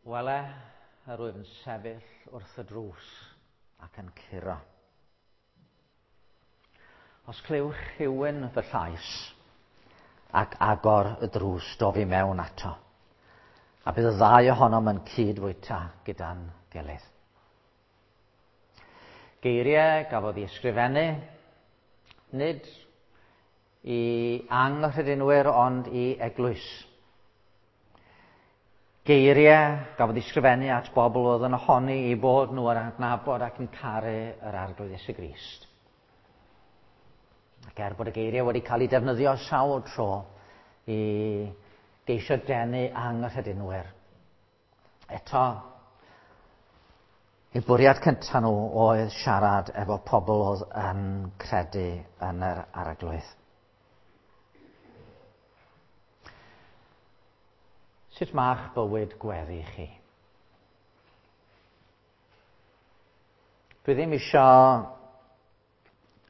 Wele, yr wyf yn sefyll wrth y drws ac yn curo. Os clywch rhywun fy llais ac agor y drws, dof i mewn ato, a bydd y ddau ohonom yn cyd-fwyta gyda'n gilydd. Geiriau gafodd ei ysgrifennu, nid i anghredinwyr ond i eglwys. Geiriau gafodd ei sgrifennu at bobl oedd yn ohoni i bod nhw yn adnabod ac yn caru yr Arglwydd Iesu Grist. Ac er bod y geiriau wedi cael eu defnyddio sawl tro i geisio denu anghredinwyr, eto, eu bwriad cyntaf nhw oedd siarad efo pobl oedd yn credu yn yr Arglwydd. Sut mae'ch bywyd gweddi chi? Dwi ddim eisiau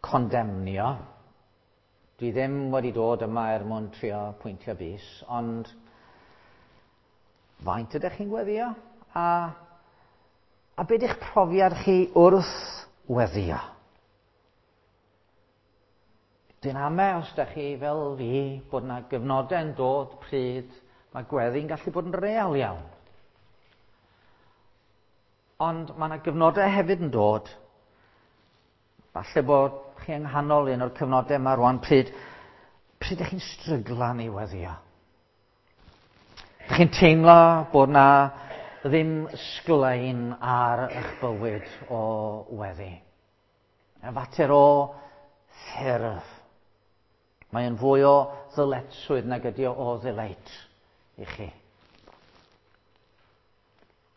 condemnio. Dwi ddim wedi dod yma er mwyn trio pwyntio bys, ond faint ydych chi'n gweddio? A, a beth ydych profiad chi wrth weddio? Dwi'n ame os da chi fel fi bod yna gyfnodau'n dod pryd mae gweddi'n gallu bod yn real iawn. Ond mae yna gyfnodau hefyd yn dod, falle bod chi yng nghanol un o'r cyfnodau yma rwan pryd, pryd ydych chi'n stryglan i weddio. Ydych chi'n teimlo bod na ddim sglein ar eich bywyd o weddi. Yn fater o ffurf. Mae yn fwy o ddyletswydd nag ydy o o ddelight i chi.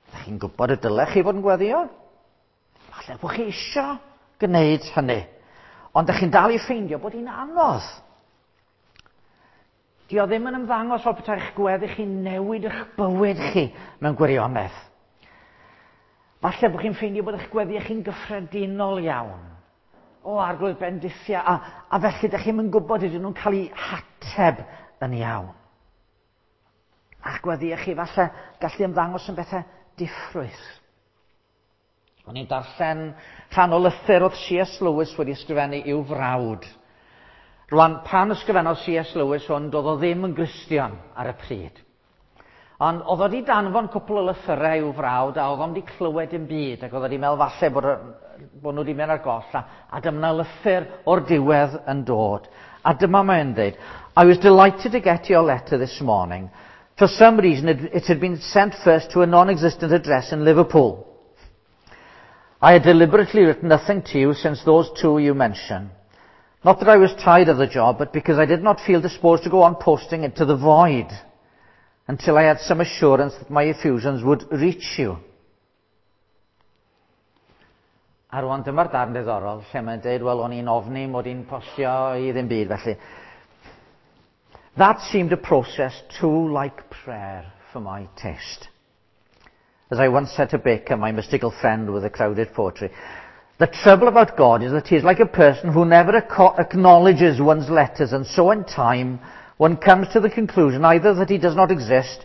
Ydych chi'n gwybod y dylech chi fod yn gweddio? Falle bod chi eisiau gwneud hynny. Ond ydych chi'n dal i ffeindio bod hi'n anodd. Di o ddim yn ymddangos fel petai'ch gweddi chi'n newid eich bywyd chi mewn gwirionedd. Falle bod chi'n ffeindio bod eich gweddi chi'n gyffredinol iawn. O, arglwydd bendithia, a, a felly ydych chi'n gwybod ydyn nhw'n cael eu hateb yn iawn. A'ch gweddi chi falle gallu ymddangos yn bethau diffrwyth. O'n i'n darllen rhan o lythyr oedd C.S. Lewis wedi ysgrifennu i'w frawd. Rwan, pan ysgrifennodd C.S. Lewis hwn, doedd o ddim yn Gristion ar y pryd. Ond oedd o wedi danfon cwpl o lythyrau i'w frawd a oedd o'n wedi clywed dim byd ac oedd o wedi meddwl falle bod, bod nhw wedi mynd ar goll a, a dyma lythyr o'r diwedd yn dod. A dyma mae'n dweud, I was delighted to get your letter this morning. For some reason it, it had been sent first to a non-existent address in Liverpool. I had deliberately written nothing to you since those two you mention. Not that I was tired of the job, but because I did not feel disposed to go on posting into the void until I had some assurance that my effusions would reach you. A rwan dyma'r darn diddorol lle mae'n dweud, wel, o'n i'n ofni mod i'n postio i ddim byd, felly. That seemed a process too like prayer for my taste. As I once said to Baker, my mystical friend with the crowded poetry, the trouble about God is that he is like a person who never acknowledges one's letters, and so in time one comes to the conclusion either that he does not exist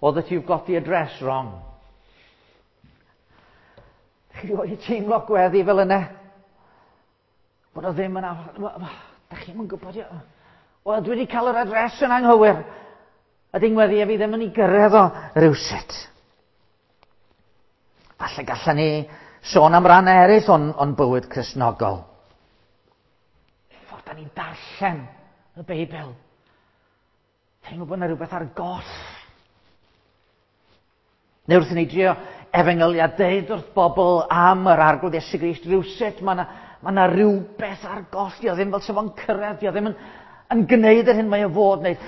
or that you've got the address wrong. Chi wedi teimlo gweddi fel yna? Bod o ddim yn... Da chi'n gwybod... Wel, dwi wedi cael yr adres yn anghywir. A dyn gweddi a fi ddim yn ei gyrraedd o rywsut. Falle gallan ni sôn am ran eraill o'n, on bywyd Cristnogol. Ffordd da ni'n darllen y Beibl. Teimlo bod yna rhywbeth ar goll. Neu wrth i ni drio efengylu a deud wrth bobl am yr arglwydd Iesu Grist rhywsut, mae yna ma na rhywbeth ar goll. Dio ddim fel sef o'n cyrraedd, dio ddim yn, yn gwneud yr hyn mae o fod wneud.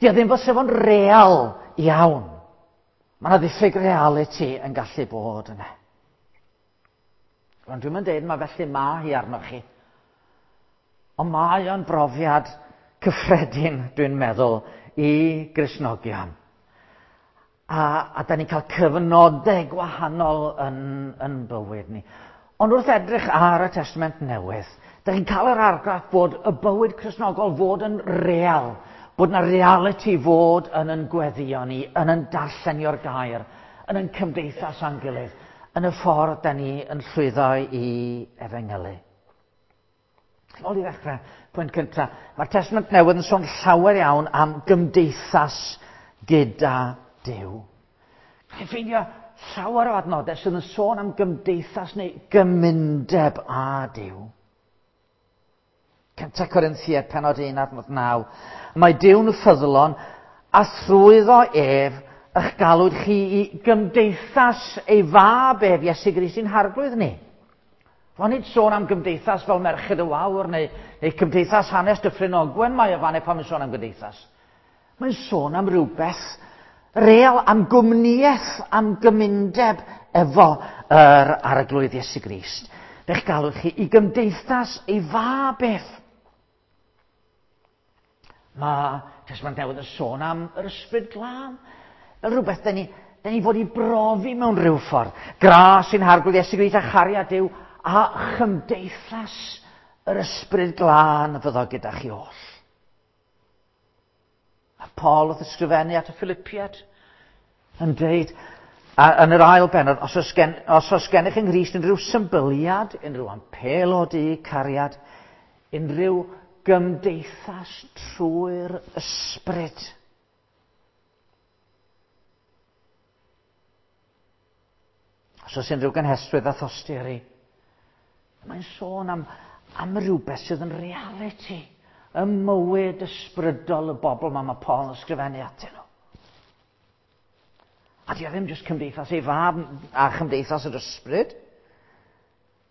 Dio ddim fel sef o'n real iawn. Mae yna ddiffyg reality yn gallu bod yna. Ond dwi'n mynd deud mae felly mae hi arnoch chi. Ond mae o'n brofiad cyffredin, dwi'n meddwl, i Gristnogion. A, a da ni'n cael cyfnodau gwahanol yn, yn bywyd ni. Ond wrth edrych ar y Testament Newydd, da ni'n cael yr argraff bod y bywyd Cristnogol fod yn real, bod na reality fod yn yn gweddio ni, yn yn darllenio'r gair, yn ein cymdeithas â'n gilydd, yn y ffordd da ni yn llwyddo i efengylu. Nôl i ddechrau, pwynt cyntaf. Mae'r Testament Newydd yn sôn llawer iawn am gymdeithas gyda Duw. Chi'n ffeindio llawer o adnodau sydd yn sôn am gymdeithas neu gymundeb â Duw. 1 Corinthiaid penod 1 adnod 9. Mae Duw'n ffyddlon a thrwyddo ef ych galwyd chi i gymdeithas ei fab ef, Iesu Grist i'n harglwydd ni. Ro'n nid sôn am gymdeithas fel Merched y Wawr neu, neu cymdeithas hanes Dyffryn Ogwen mae o fan pan mae'n sôn am gymdeithas. Mae'n sôn am rhywbeth real, am gwmnïaeth, am gymundeb efo yr arglwydd Iesu Grist. Fe'ch galw chi i gymdeithas ei fab ef. Mae Testament Newydd yn sôn am yr ysbryd glân. Fel rhywbeth da ni, da ni fod i brofi mewn rhyw ffordd. Gras sy'n harglwydd Iesu Grist a chariad Duw a chymdeithas yr ysbryd glân fyddo gyda chi oll. A Paul wrth ysgrifennu at y Philippiad yn dweud, a yn yr ail bennod, os oes, gen, os oes gennych yng Nghrist unrhyw symbyliad, unrhyw ampel o du cariad, unrhyw gymdeithas trwy'r ysbryd. Os oes unrhyw gynhesrwydd a thosturi, mae'n sôn am, am rhywbeth sydd yn reality ym mywyd ysbrydol y bobl mae, mae Paul yn ysgrifennu atyn nhw. A di o ddim jyst cymdeithas ei fab a chymdeithas yr ysbryd.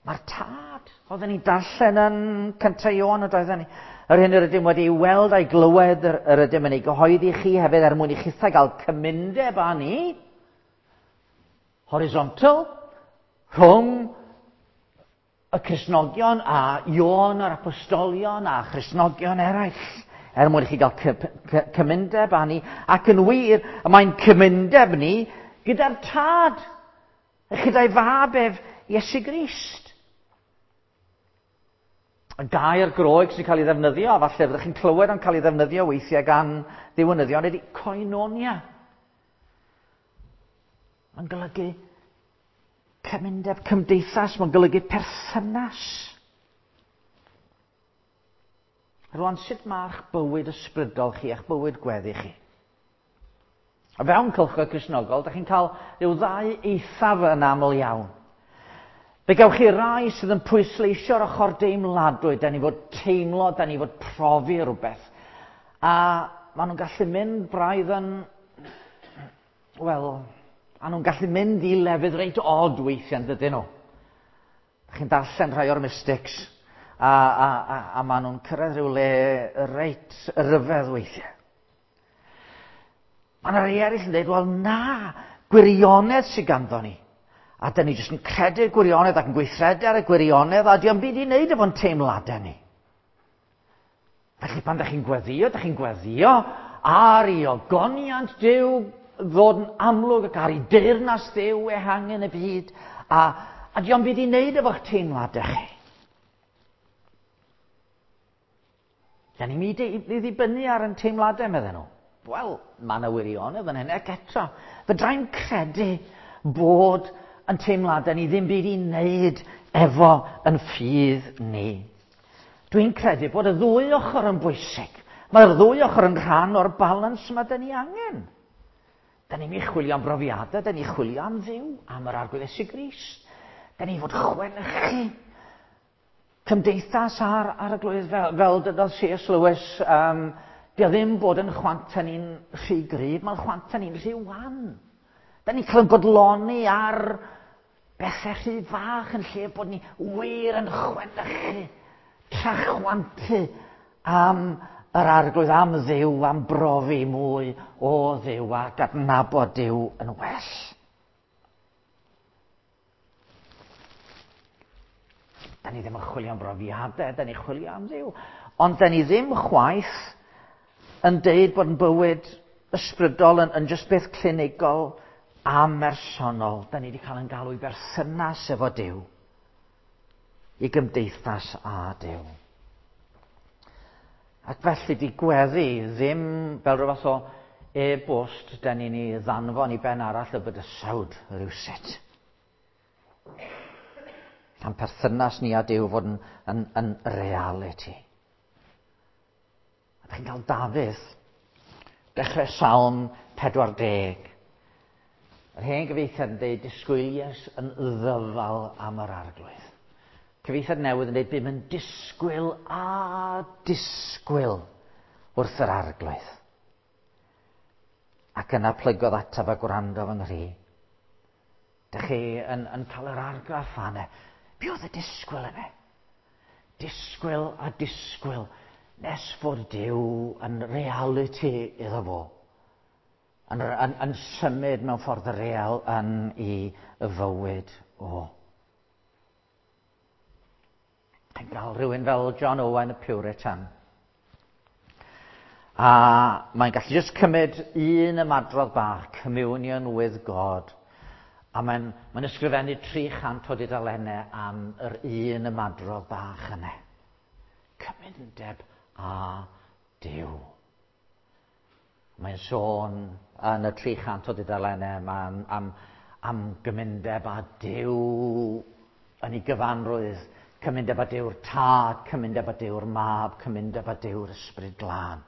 Mae'r tad, oedden ni'n darllen yn cyntaf Ioan, y doedden ni. Yr hyn yr ydym wedi ei weld a'i glywed, yr, yr ydym yn ei gyhoeddi chi hefyd er mwyn i chithau gael cymundeb â ni. Horizontal, rhwng y Cristnogion a Ioan yr Apostolion a Christnogion eraill, er mwyn i chi gael cymundeb â ni. Ac yn wir, mae'n cymundeb ni gyda'r tad, gyda'i fab ef Iesu Grist. Y gair Groeg sy'n cael ei ddefnyddio, a falle fyddwch chi'n clywed o'n cael ei ddefnyddio weithiau gan ddiwinyddion, ydy koinonia. Mae'n golygu cymundeb cymdeithas, mae'n golygu perthynas. Rwan, sut mae'ch bywyd ysbrydol chi, eich bywyd gweddi chi? A fewn cylchoedd Cristnogol, da chi'n cael rhyw ddau eithaf yn aml iawn. Fe gewch chi rai sydd yn pwysleisio'r ochr deimladwy, da ni fod teimlo, da ni fod profi rhywbeth. A maen nhw'n gallu mynd braidd yn, wel, maen nhw'n gallu mynd i lefydd reit od weithiau, dydyn nhw. Da chi'n darllen rhai o'r mystics, a, a, a, a maen nhw'n cyrraedd rhyw le reit ryfedd weithiau. Mae yna rhai eraill yn dweud, wel na, gwirionedd sydd ganddo ni. A dyn ni jyst yn credu'r gwirionedd ac yn gweithredu ar y gwirionedd, a diolch byd i wneud efo'n teimladau ni. Felly pan ydych chi'n gweddio, ydych chi'n gweddio ar i ogoniant Duw ddod yn amlwg ac ar i deyrnas Dduw ehangu yn y byd, a, a diolch byd i wneud efo'ch teimladau chi. Da ni'n mynd i ddibynnu ar yn teimladau, medden nhw. Wel, mae yna wirionedd yn hynny, ac eto, fydrai'n credu bod yn teimladau ni ddim byd i wneud efo yn ffydd ni. Dwi'n credu bod y ddwy ochr yn bwysig. Mae'r ddwy ochr yn rhan o'r balans yma da ni angen. Da ni'n mynd chwilio am brofiadau, da ni'n chwilio am Dduw, am yr Arglwydd Iesu Grist. Da ni'n fod chwenychu cymdeithas ar, ar y glwydd, fel, fel dydodd C.S. Lewis, um, di o ddim bod yn chwanta ni'n rhy gryf, mae'n chwanta ni'n rhy wan. Da ni'n cael yn bodloni ar bethau rhy fach yn lle bod ni wir yn chwenychu, trachwantu am yr arglwydd, am Dduw, am brofi mwy o Dduw ac adnabod Duw yn well. Da ni ddim yn chwilio am brofiadau, da ni'n chwilio am Dduw. Ond da ni ddim chwaith yn deud bod yn bywyd ysbrydol yn, yn just beth clinigol a mersonol. Da ni wedi cael yn galw i berthynas efo Duw, i gymdeithas â Duw. Ac felly di gweddi ddim fel rhywbeth o e-bost da ni'n ei ddanfon i ben arall y bydysawd rhywsut. A'n perthynas ni a Duw fod yn reality. A chi'n cael Dafydd, dechrau Salm 40. Yr hen gyfieithiad yn dweud, disgwyliais yn ddyfal am yr arglwydd. Cyfieithiad newydd yn dweud, bum yn disgwyl a disgwyl wrth yr arglwydd. Ac yna plygodd ataf a gwrando fy nghri. Dych chi yn cael yr argraff fanne. Be oedd y disgwyl yna? Disgwyl a disgwyl nes fod Duw yn reality iddo fo. Yn symud mewn ffordd real yn ei fywyd o. Yn gael rhywun fel John Owen y Puritan. A mae'n gallu jyst cymryd un ymadrodd bach, communion with God. A mae'n ysgrifennu 300 o dudalennau am yr un ymadrodd bach yna. Cymundeb â Duw. Mae'n sôn yn y 300 o dudalennau yma am gymundeb â Duw yn ei gyfanrwydd. Cymundeb â Duw'r Tad, cymundeb â Duw'r Mab, cymundeb â Duw'r Ysbryd Glân.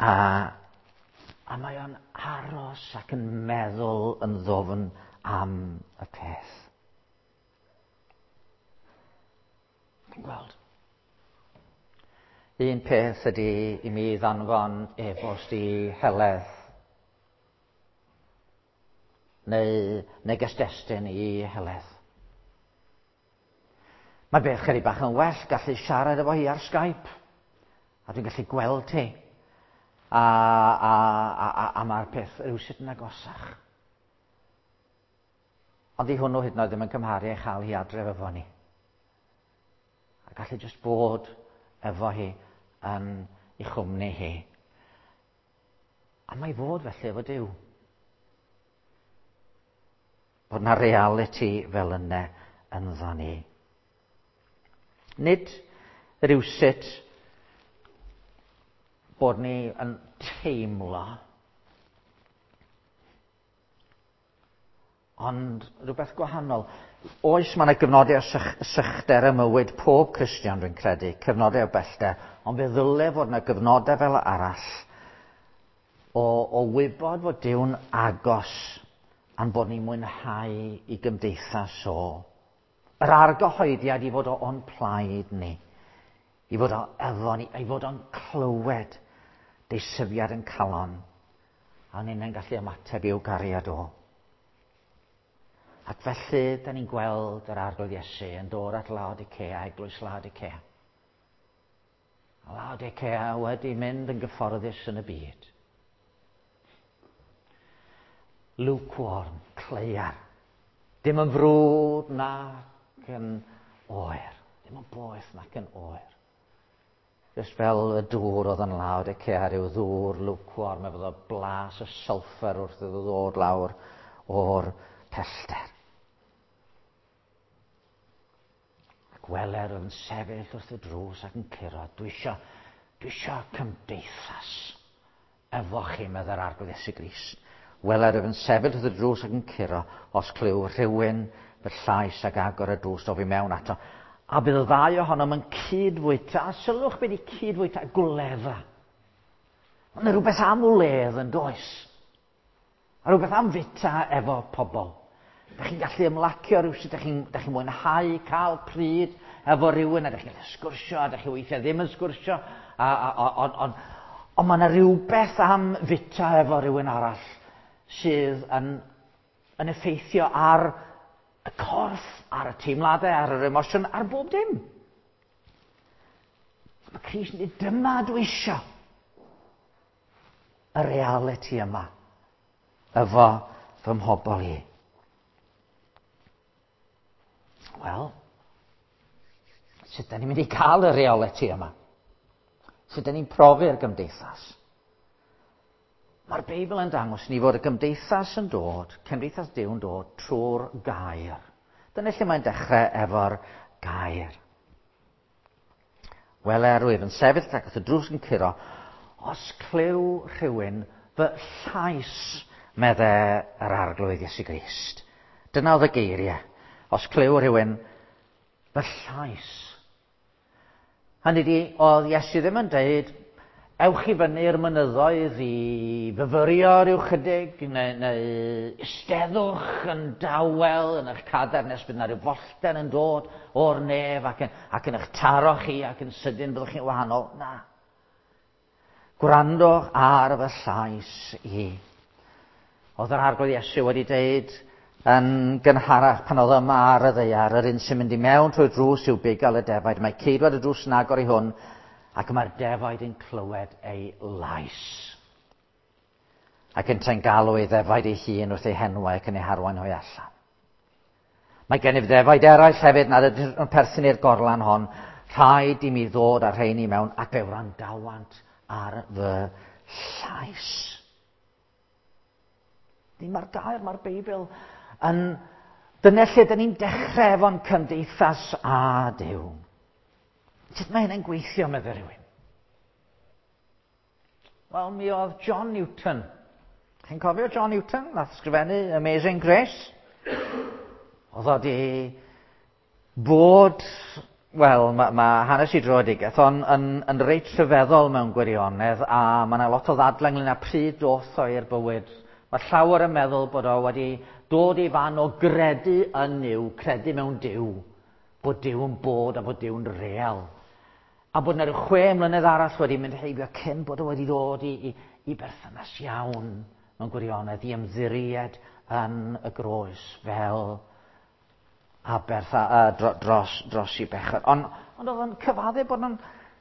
A mae o'n aros ac yn meddwl yn ddofn am y peth. Chi'n gweld? Un peth ydy i mi ddanfon e-bost i Heledd neu neges destun i Heledd. Mae beth chydig bach yn well gallu siarad efo hi ar Skype. A dwi'n gallu gweld hi. A mae'r peth rhywsut yn agosach. Ond i hwnnw hyd yn oed ddim yn cymharu ei chael hi adref efo ni. A gallu jyst bod efo hi yn ei chwmni hi. A mae fod felly efo Duw. Bod na reality fel yna ynddo ni. Nid rhywsut bod ni yn teimlo, ond rhywbeth gwahanol. Oes, mae yna gyfnodau o sychder ym mywyd pob Cristion, dwi'n credu, cyfnodau o bellter, ond fe ddyle fod yna gyfnodau fel arall o wybod fod Duw'n agos a'n bod ni'n mwynhau i gymdeithas o. Yr argyhoeddiad i fod o'n plaid ni, i fod o efo ni, i fod o'n clywed deisyfiad yn calon, a ni'n gallu ymateb i'w gariad o. Ac felly, da ni'n gweld yr Arglwydd Iesu yn dod at Laodicea, eglwys Laodicea. A Laodicea wedi mynd yn gyfforddus yn y byd. Lukewarm, cleiar. Dim yn frwd nac yn oer. Dim yn boeth nac yn oer. Just fel y dŵr oedd yn Laodicea, rhyw ddŵr lukewarm, efo blas y sulfur wrth iddo ddod lawr o'r pellter. Ac weler yn sefyll wrth y drws ac yn curo. Dwi isio cymdeithas efo chi, meddai'r Arglwydd Iesu Grist. Weler yn sefyll wrth y drws ac yn curo, os clyw rhywun fy llais ac agor y drws o fi mewn ato. A bydd y ddau ohonom yn cydfwyta, a sylwch beth i cydfwyta, gwledda. Mae yna rhywbeth am wledd yn does. A rhywbeth am fita efo pobl. Dach chi'n gallu ymlacio rhywsut, dach chi'n mwynhau cael pryd efo rhywun, a dach chi'n gallu sgwrsio, a dach chi weithiau ddim yn sgwrsio, ond mae yna rhywbeth am fita efo rhywun arall sydd yn effeithio ar y corff, ar y teimladau, ar yr emosiwn, ar bob dim. Mae Crist yn dweud, dyma dwi isio. Y reality yma efo fy mhobl i. Wel, sut da ni'n mynd i cael y reality yma? Sut da ni'n profi'r gymdeithas? Mae'r Beibl yn dangos ni fod y gymdeithas yn dod, cymdeithas Duw yn dod trwy'r gair. Dyna lle mae'n dechrau efo'r gair. Wele, rwyf yn sefyll ac wrth y drws yn curo. Os clyw rhywun fy llais, medde yr Arglwydd Iesu Grist. Dyna oedd y geiriau. Os clyw rhywun fy llais. Hynny di, oedd Iesu ddim yn deud, ewch i fyny'r mynyddoedd i fyfyrio rhyw chydig, neu eisteddwch yn dawel yn eich cadair nes bydd yna rhyw follten yn dod o'r nef ac yn eich taro chi ac yn sydyn byddwch chi'n wahanol. Na. Gwrandwch ar fy llais i. Oedd yr Arglwydd Iesu wedi deud yn gynharach pan oedd yma ar y ddaear, yr un sy'n mynd i mewn trwy'r drws yw bugail y defaid. Mae ceidwad y drws yn agor i hwn, ac mae'r defaid yn clywed ei lais. Ac yntau'n galw ei ddefaid ei hun wrth ei henwau ac yn ei harwain hwy allan. Mae gennyf ddefaid eraill hefyd nad ydyn nhw'n perthyn i'r gorlan hon. Rhaid i mi ddod â'r rheini mewn ac fe wrandawant ar fy llais. Ddim mae'r gair, mae'r Beibl yn... Dyna lle dyn ni'n dechrau efo'n cymdeithas â Duw. Sut mae hynny'n gweithio, meddai rhywun? Wel, mi oedd John Newton. Chi'n cofio John Newton? Nath sgrifennu Amazing Grace. Oedd o di bod, wel, ma hanes i dröedigaeth o'n yn reit rhyfeddol mewn gwirionedd, a mae yna lot o ddadlau ynglyn â pryd doth o i'r bywyd. Mae llawer yn meddwl bod o wedi dod i fan o gredu yn Nuw, credu mewn Duw, bod Duw yn bod a bod Duw'n real. A bod yna rhyw 6 mlynedd arall wedi mynd heibio cyn bod o wedi dod i berthynas iawn mewn gwirionedd, i ymddiried yn y groes fel aberth dros i bechod. Ond oedd o'n cyfadde bod o'n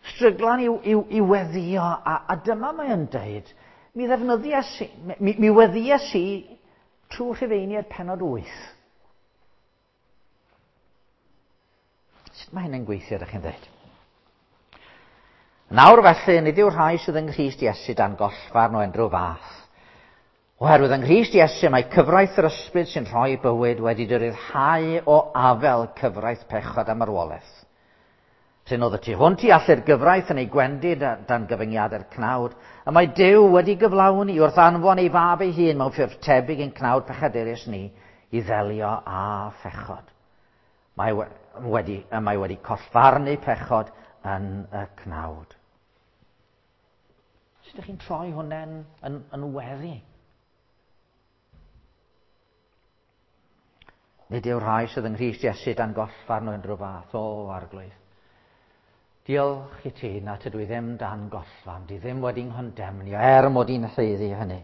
stryglan i weddio, a dyma mae o'n deud, mi ddefnyddiais i, mi weddiais i trwy Rhufeiniaid pennod 8. Sut mae hynny'n gweithio, ydych chi'n dweud? Nawr felly, nid yw'r rhai sydd yng Nghrist Iesu dan gollfarn o unrhyw fath. Oherwydd yng Nghrist Iesu mae cyfraith yr ysbryd sy'n rhoi bywyd wedi dy ryddhau o afel cyfraith pechod a marwolaeth. Prin oedd y tu hwnt i allu'r gyfraith yn ei gwendid dan gyfyngiadau'r cnawd, y mae Duw wedi gyflawni wrth anfon ei fab ei hun mewn ffurf tebyg i'n cnawd pechadurus ni i ddelio â phechod. Mae wedi collfarnu pechod yn y cnawd. Sut ydych chi'n troi hwnna'n yn weddi? Nid yw'r rhai sydd yng Nghrist Iesu dan gollfarn o unrhyw fath, o Arglwydd. Diolch i ti na tydw i ddim dan gollfarn, di ddim wedi'n nghondemnio, er mod i'n haeddu hynny.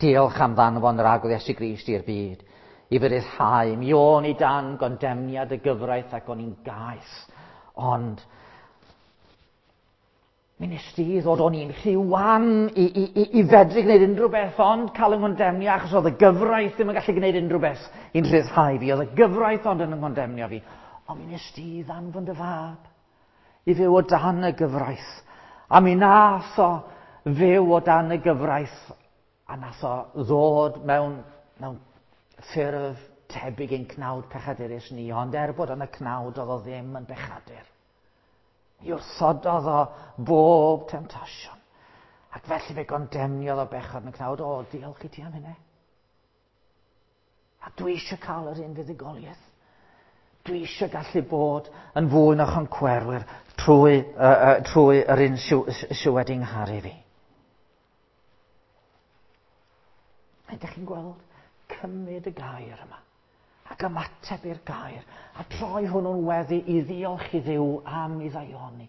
Diolch am ddanfon yr Arglwydd Iesu Grist i'r byd, i fy ryddhau. Mi o'n i dan gondemniad y gyfraith ac o'n i'n gaeth, ond mi nes di ddod o'n i'n rhy wan i fedru gwneud unrhyw beth ond cael yng nghondemnio, achos oedd y gyfraith ddim yn gallu gwneud unrhyw beth i'n rhyddhau fi. Oedd y gyfraith ond yn yng nghondemnio fi. Ond mi nes di ddanfon dy fab i fyw o dan y gyfraith. A mi nath o fyw o dan y gyfraith a nath o ddod mewn ffurf tebyg i'n cnawd pechadurus ni, ond er bod yn y cnawd oedd o ddim yn bechadur. Mi wrthododd o bob temtasiwn. Ac felly fe gondemniodd o bechod yn y cnawd. O, diolch i ti am hynny. A dwi eisiau cael yr un fuddugoliaeth. Dwi eisiau gallu bod yn fwy na choncwerwyr trwy yr un sy wedi ngharu fi. Ydych chi'n gweld cymryd y gair yma ac ymateb i'r gair a troi hwnnw'n weddi i ddiolch i Dduw am ei ddaioni.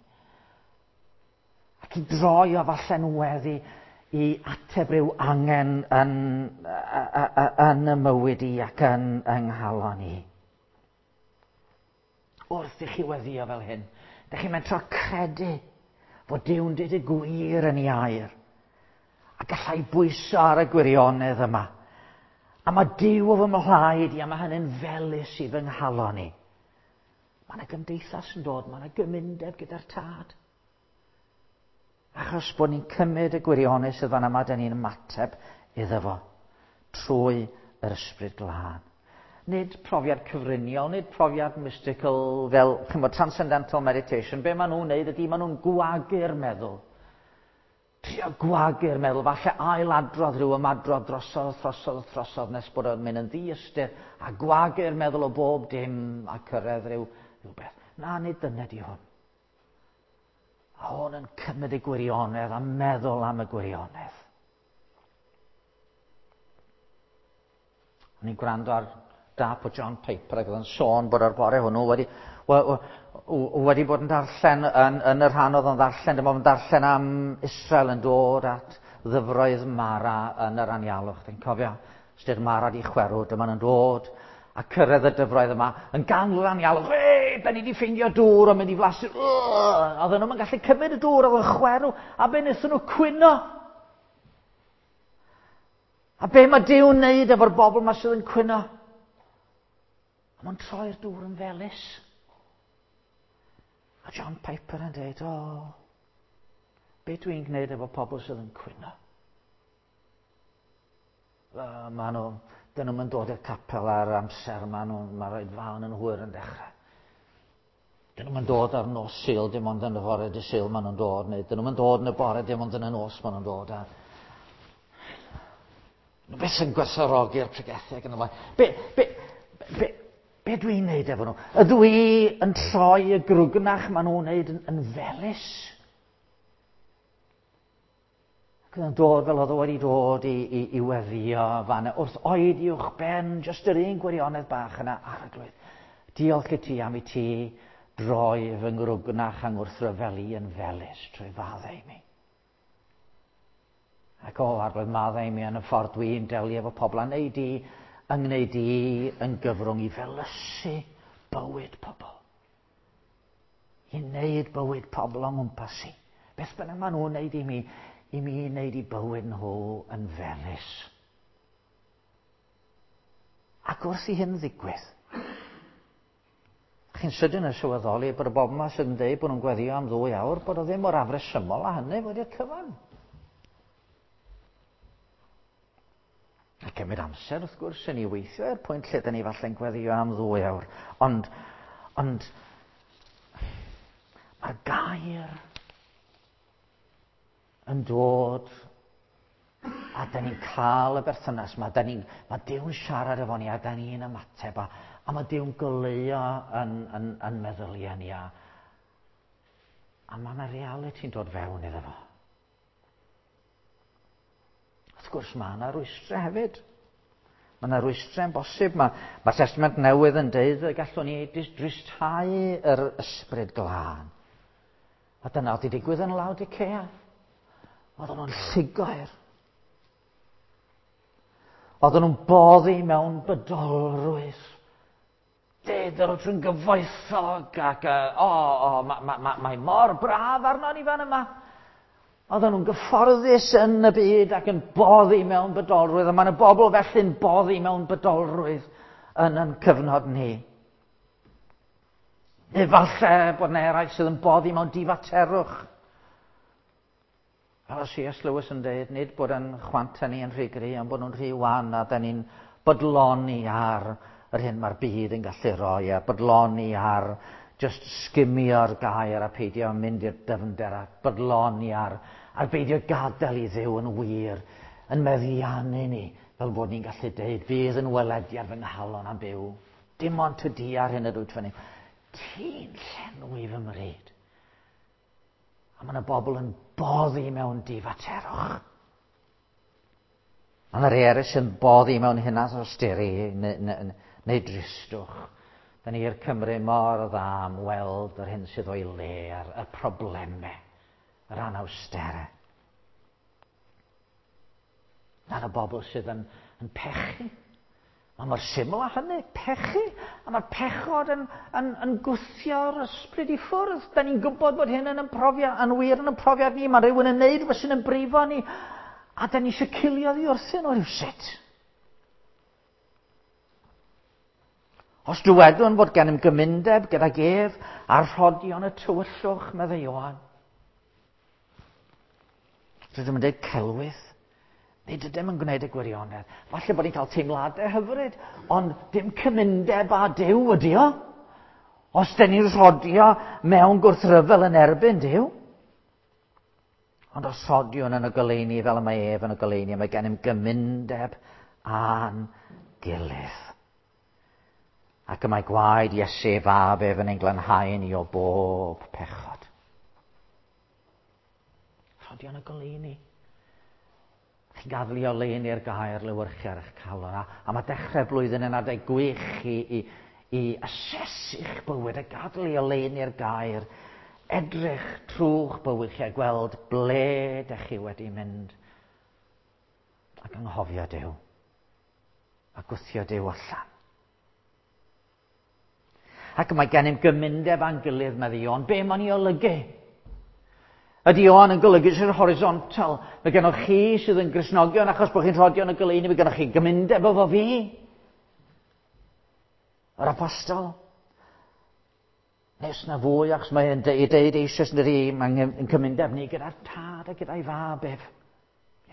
Ac i droi o falle'n weddi i ateb rhyw angen yn y mywyd i ac yn yng nghalon i. Wrth i chi weddio fel hyn, dych chi'n mentro credu fod Duw'n dweud y gwir yn ei air. A gallai bwyso ar y gwirionedd yma. A mae Duw o fy mhlaid i, a mae hynny'n felys i fy nghalon i. Mae yna gymdeithas yn dod, mae yna gymundeb gyda'r tad. Achos bod ni'n cymryd y gwirionedd sydd fan yma, da ni'n ymateb iddo fo trwy yr Ysbryd Glân. Nid profiad cyfriniol, nid profiad mystical fel, chymod, transcendental meditation. Be maen nhw'n neud ydy, maen nhw'n gwagu'r meddwl. Trio gwagu'r meddwl, falle ailadrodd rhyw ymadrodd drosodd, drosodd, drosodd, nes bod o'n mynd yn ddiystyr, a gwagu'r meddwl o bob dim a cyrraedd rhyw rhywbeth. Na, nid dyna di hwn. A hwn yn cymryd y gwirionedd a meddwl am y gwirionedd. O'n i'n gwrando ar dap o John Piper ac oedd yn sôn bod ar bore hwnnw wedi, wedi bod yn darllen yn, yn y rhan oedd yn ddarllen, dyma o'n darllen am Israel yn dod at ddyfroedd Mara yn yr anialwch. Dwi'n cofio, styr Mara di chwerw, dyma nhw'n dod a cyrraedd y dyfroedd yma yn ganol anialwch. Ei, da ni wedi ffeindio dŵr o'n mynd i flasu. Oedden nhw'n gallu cymryd y dŵr, oedd yn chwerw, a be wnaethon nhw cwyno? A be mae Duw'n wneud efo'r bobl yma sydd yn cwyno? A mae'n troi'r dŵr yn felys. A John Piper yn dweud, o, be dwi'n gwneud efo pobl sydd yn cwyno? Mae nhw, dyn nhw'n dod i'r capel ar amser, mae nhw'n, mae rhaid fan yn hwyr yn dechrau. Dyn nhw'n dod ar nos Sul, dim ond yn y fore dy Sul maen nhw'n dod, neu dyn nhw'n dod yn y bore, dim ond yn y nos maen nhw'n dod. A... Nhw beth sy'n gwerthfawrogi'r pregethu ac yn y blaen. Be, be, be, be dwi'n neud efo nhw? Ydw i yn troi y grwgnach maen nhw'n neud yn, yn felys? Ac oedd yn dod fel oedd o wedi dod i, i, i weddio fan wrth oed uwch ben, jyst yr un gwirionedd bach yna, arglwydd. Diolch i ti am i ti droi fy ngrwgnach a ngwrthryfel i yn felys trwy faddau i mi. Ac o, arglwydd, maddau i mi yn y ffordd dwi'n delio efo pobl a wneud i, yng ngwneud i yn gyfrwng i felysu bywyd pobl. I wneud bywyd pobl o'n ngwmpas i. Beth bynnag maen nhw'n wneud i mi, i mi wneud i bywyd nhw yn felys. Ac wrth i hyn ddigwydd, chi'n sydyn yn sylweddoli bod y bobl yma sydd yn dweud bod nhw'n gweddio am ddwy awr, bod o ddim mor afresymol â hynny wedi'r cyfan. A cymryd amser, wrth gwrs, yn ei weithio i'r pwynt lle dyn ni falle'n gweddio am ddwy awr. Ond, ond, mae'r gair yn dod a da ni'n cael y berthynas yma, da ni'n, mae Duw'n siarad efo ni a da ni'n ymateb a, a mae Duw'n goleuo yn, yn, yn meddyliau ni a, a mae yna realiti'n dod fewn iddo fo. Wrth gwrs, mae yna rwystrau hefyd. Mae yna rwystrau yn bosib. Mae, mae Testament Newydd yn deud y gallwn ni dristhau yr ysbryd glân. A dyna oedd wedi digwydd yn Laodicea. Oedden nhw'n llugoer. Oedden nhw'n boddi mewn bydolrwydd. Ded yr oedd yn gyfoethog ac, o, o, mae ma, ma, mae mor braf arno ni fan yma. Oedden nhw'n gyfforddus yn y byd ac yn boddi mewn bydolrwydd, a mae yna bobl felly'n boddi mewn bydolrwydd yn yn cyfnod ni. Efallai bod yna eraill sydd yn boddi mewn difaterwch. Fel o C.S. Lewis yn dweud, nid bod yn chwanta ni yn rhy gry, ond bod nhw'n rhy wan a da ni'n bodloni ar yr hyn mae'r byd yn gallu rhoi a bodloni ar just sgimio'r gair a peidio mynd i'r dyfnder a bodloni ar, ar beidio gadael i Dduw yn wir yn meddiannu ni fel bod ni'n gallu deud fydd yn welediad fy nghalon am byw. Dim ond ty di ar hyn ydw fyny. Ti'n llenwi fy mryd. A mae yna bobl yn boddi mewn difaterwch. Mae yna rhai eraill sy'n boddi mewn hynnas o styri neu, neu, neu dristwch. Da ni'r Cymru mor dda am weld yr hyn sydd o'i le a'r y problemau, yr anawsterau. Na'n y bobl sydd yn, yn pechu. Mae mor syml â hynny, pechu. A mae'r pechod yn, yn, yn gwthio'r ysbryd i ffwrdd. Da ni'n gwybod bod hyn yn profiad, yn wir yn y profiad ni. Mae rhywun yn neud rhywbeth sy'n yn brifo ni. A da ni eisiau cilio ddi wrthyn nhw rhywsut. Os dywedwn fod gennym gymundeb gydag ef a'r rhodion y tywyllwch, meddai Ioan. Rydym yn dweud celwydd. Nid ydym yn gwneud y gwirionedd. Falle bod ni'n cael teimladau hyfryd, ond dim cymundeb â Duw ydi o. Os dyn ni'n rhodio mewn gwrthryfel yn erbyn Duw. Ond os rhodiwn yn y goleuni fel y mae ef yn y goleuni, mae gennym gymundeb â'n gilydd. Ac y mae gwaed Iesu ei fab ef yn ein glanhau ni o bob pechod. Rhodion y goleuni. Chi'n gadw i oleuni'r gair lewyrchu ar eich calon. A, a mae dechrau blwyddyn yn adeg gwych i, i, i asesu'ch bywyd a gadw i oleuni'r gair. Edrych trwy'ch bywyd chi a gweld ble dych chi wedi mynd. Ac anghofio Duw. A gwthio Duw allan. Ac mae gennym gymundeb â'n gilydd, medde Ioan. Be mae'n ei olygu? Ydy Ioan yn golygu sy'n horizontal? Mae gennych chi sydd yn Gristnogion achos bod chi'n rhodio yn y goleuni, mae gennych chi gymundeb efo fi. Yr apostol. Nes na fwy, achos mae'n deud, deud eisoes yn dydi, mae'n cymundeb ni gyda'r tad a gyda'i fab ef.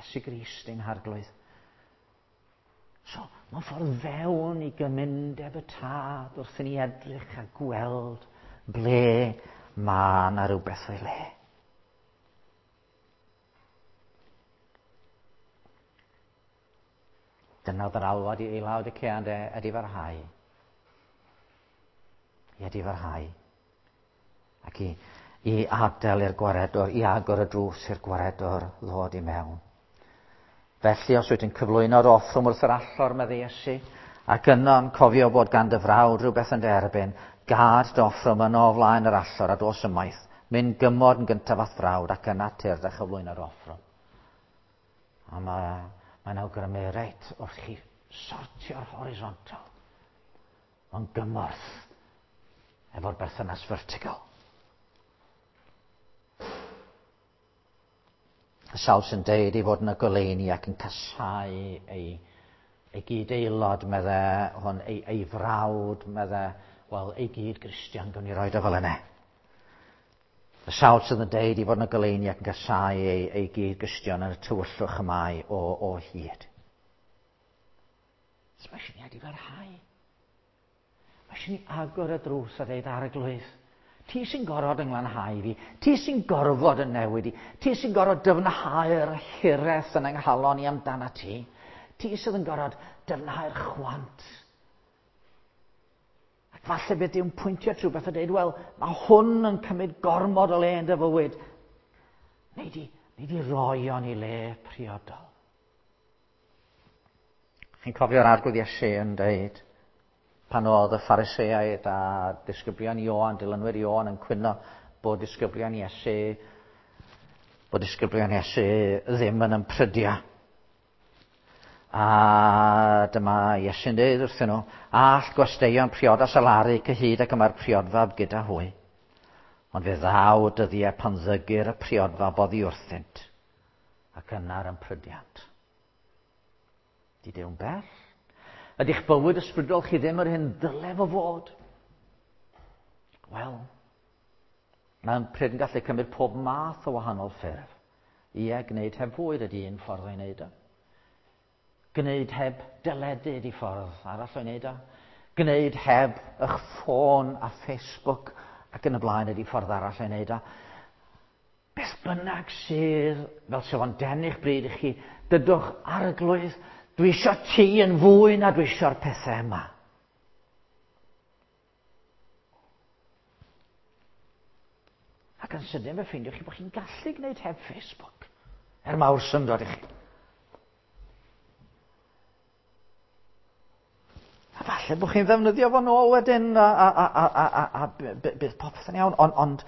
Iesu Grist ein harglwydd. So, mae'n ffordd fewn i gymundeb y tad wrth i ni edrych a gweld ble mae yna rhywbeth o'i le. Dyna oedd yr alwad i Laodicea ynde, edifarhau. I edifarhau. Ac i, i adael i'r gwaredwr, i agor y drws i'r gwaredwr ddod i mewn. Felly, os wyt yn cyflwyno'r offrwm wrth yr allor, meddai Iesu, ac yno'n cofio bod gan dy frawd rhywbeth yn dy erbyn, gad dy offrwm yno o flaen yr allor a dos ymaith. Mynd gymod yn gyntaf a'th frawd ac yna tyrd a chyflwyno'r offrwm. A mae, mae'n awgrymu reit wrth chi sortio'r horizontal. Mae'n gymorth efo'r berthynas vertical. Y sawl sy'n deud ei fod yn y goleuni ac yn casau ei, ei gyd-aelod, medde hwn, ei, ei frawd, medde, wel, ei gyd-Gristion, gwn i roed o fel yna. Y sawl sydd yn deud ei fod yn y goleuni ac yn casau ei, ei gyd-Gristion yn y tywyllwch y mae o, o hyd. So mae eisiau ni edifarhau. Mae eisiau ni agor y drws a dweud arglwydd. Ti sy'n gorfod yng nglanhau fi. Ti sy'n gorfod yn newid i. Ti sy'n gorfod dyfnhau'r hiraeth yn yng nghalon i amdana ti. Ti sydd yn gorfod dyfnhau'r chwant. Ac falle bydd Duw'n pwyntio at rhywbeth a dweud, wel, mae hwn yn cymryd gormod o le yn dy fywyd. Neu di, neu di roi o'n i le priodol. Chi'n cofio'r arglwydd Iesu yn dweud, pan oedd y Phariseaid a disgyblion Ioan, dilynwyr Ioan yn cwyno bod disgyblion Iesu, bod disgyblion Iesu ddim yn ymprydio. A dyma Iesu'n dweud wrthyn nhw, all gwesteion priodas alaru cyhyd ac y mae'r priodfab gyda hwy. Ond fe ddaw dyddiau pan ddygir y priodfab oddi wrthynt, ac yna'r ymprydiant. Di Dew'n bell? Ydy'ch bywyd ysbrydol chi ddim yr hyn ddyle fo fod? Wel, mae'n pryd yn gallu cymryd pob math o wahanol ffurf. Ie, gwneud heb fwyd ydy un ffordd o'i wneud o. Gwneud heb deledu ydy ffordd arall o'i wneud o. Gwneud heb eich ffôn a Facebook ac yn y blaen ydy ffordd arall o'i wneud o. Beth bynnag sydd, fel sydd o'n denu'ch bryd i chi, dydwch arglwydd, dwi eisiau ti yn fwy na dwi eisiau'r pethau yma. Ac yn sydyn fe ffeindiwch chi bod chi'n gallu gwneud heb Facebook. Er mawr syndod i chi. A falle bod chi'n ddefnyddio fo nôl wedyn a, a, a, a, a, a, a bydd popeth yn iawn, ond, ond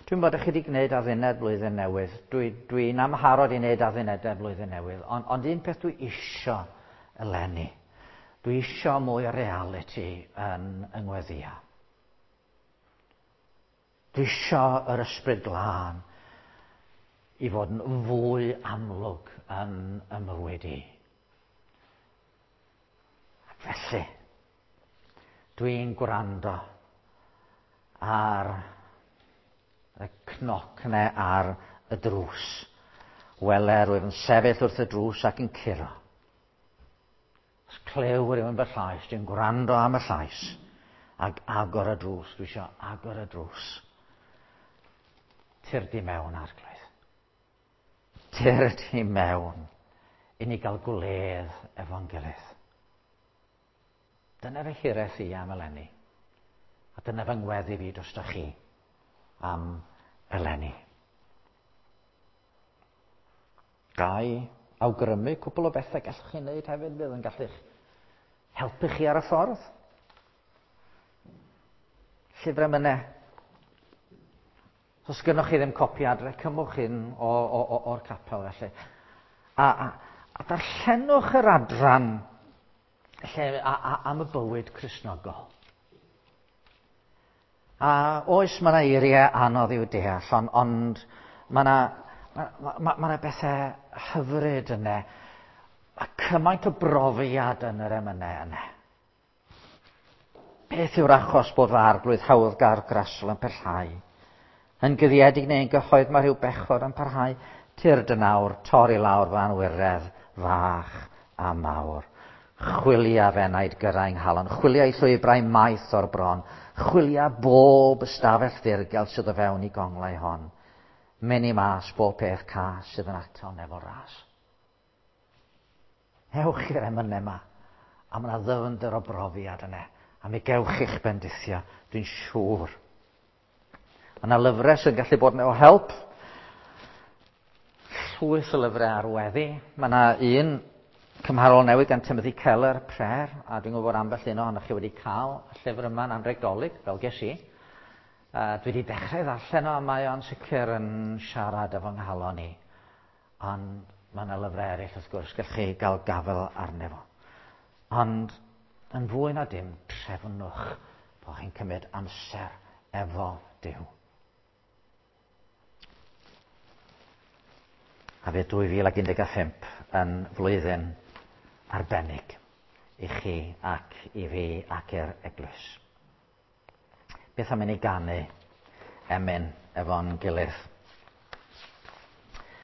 Dwi'n bod chi wedi gwneud adduned blwyddyn newydd. Dwi'n dwi, dwi amharod i wneud addunedau blwyddyn newydd, ond, ond un peth dwi isio eleni, dwi isio mwy o reality yn yng ngweddia. Dwi isio yr ysbryd glân i fod yn fwy amlwg yn y mywyd i. Ac felly, dwi'n gwrando ar y cnoc yna ar y drws. Wele, rwyf yn sefyll wrth y drws ac yn curo. Os clyw rhywun fy llais, dwi'n gwrando am y llais, ac agor y drws, dwi eisiau agor y drws. Tyrd i mewn, Arglwydd. Tyrd i mewn i ni gael gwledd efo'n gilydd. Dyna fy hiraeth i am eleni. A dyna fy ngweddi fi drostoch chi am eleni. Gai awgrymu cwpl o bethau gallwch chi wneud hefyd fydd yn gallu'ch helpu chi ar y ffordd. Llyfr emynau. Os gynnoch chi ddim copi adre, cymwch un o'r capel felly. A darllenwch yr adran lle, am y bywyd Cristnogol. A oes, mae yna eiriau anodd i'w deall, ond mae yna ma, ma, bethau hyfryd yna. Mae cymaint o brofiad yn yr emynau yna. Beth yw'r achos bod fy arglwydd hawddgar grasol yn pellhau? Yn guddiedig neu yn gyhoedd mae rhyw bechod yn parhau. Tyrd yn awr, torri lawr fy anwiredd fach a mawr. Chwilia f'enaid gyrraedd nghalon, chwilia i llwybrau maith o'r bron, chwilia bob ystafell ddirgel sydd o fewn i gonglau hon. Mynd i mas bob peth cas sydd yn atal nefol ras. Ewch i'r emynau yma, a mae yna ddyfnder o brofiad yna, a mi gewch chi'ch bendithio, dwi'n siŵr. Mae yna lyfrau sy'n gallu bod yn o help. Llwyth o lyfrau ar weddi. Mae yna un cymharol newydd gan Timothy Keller, Prayer, a dwi'n gwybod ambell un ohonoch chi wedi cael y llyfr yma'n anrheg Dolig, fel ges i. Dwi wedi dechrau ddarllen o, a mae o'n sicr yn siarad efo nghalon i. Ond mae yna lyfrau eraill, wrth gwrs, gallwch chi gael gafael arno fo. Ond yn fwy na dim, trefnwch bod chi'n cymryd amser efo Duw. A fydd 2015 yn flwyddyn arbennig i chi ac i fi ac i'r eglwys. Beth am i ni ganu emyn efo'n gilydd?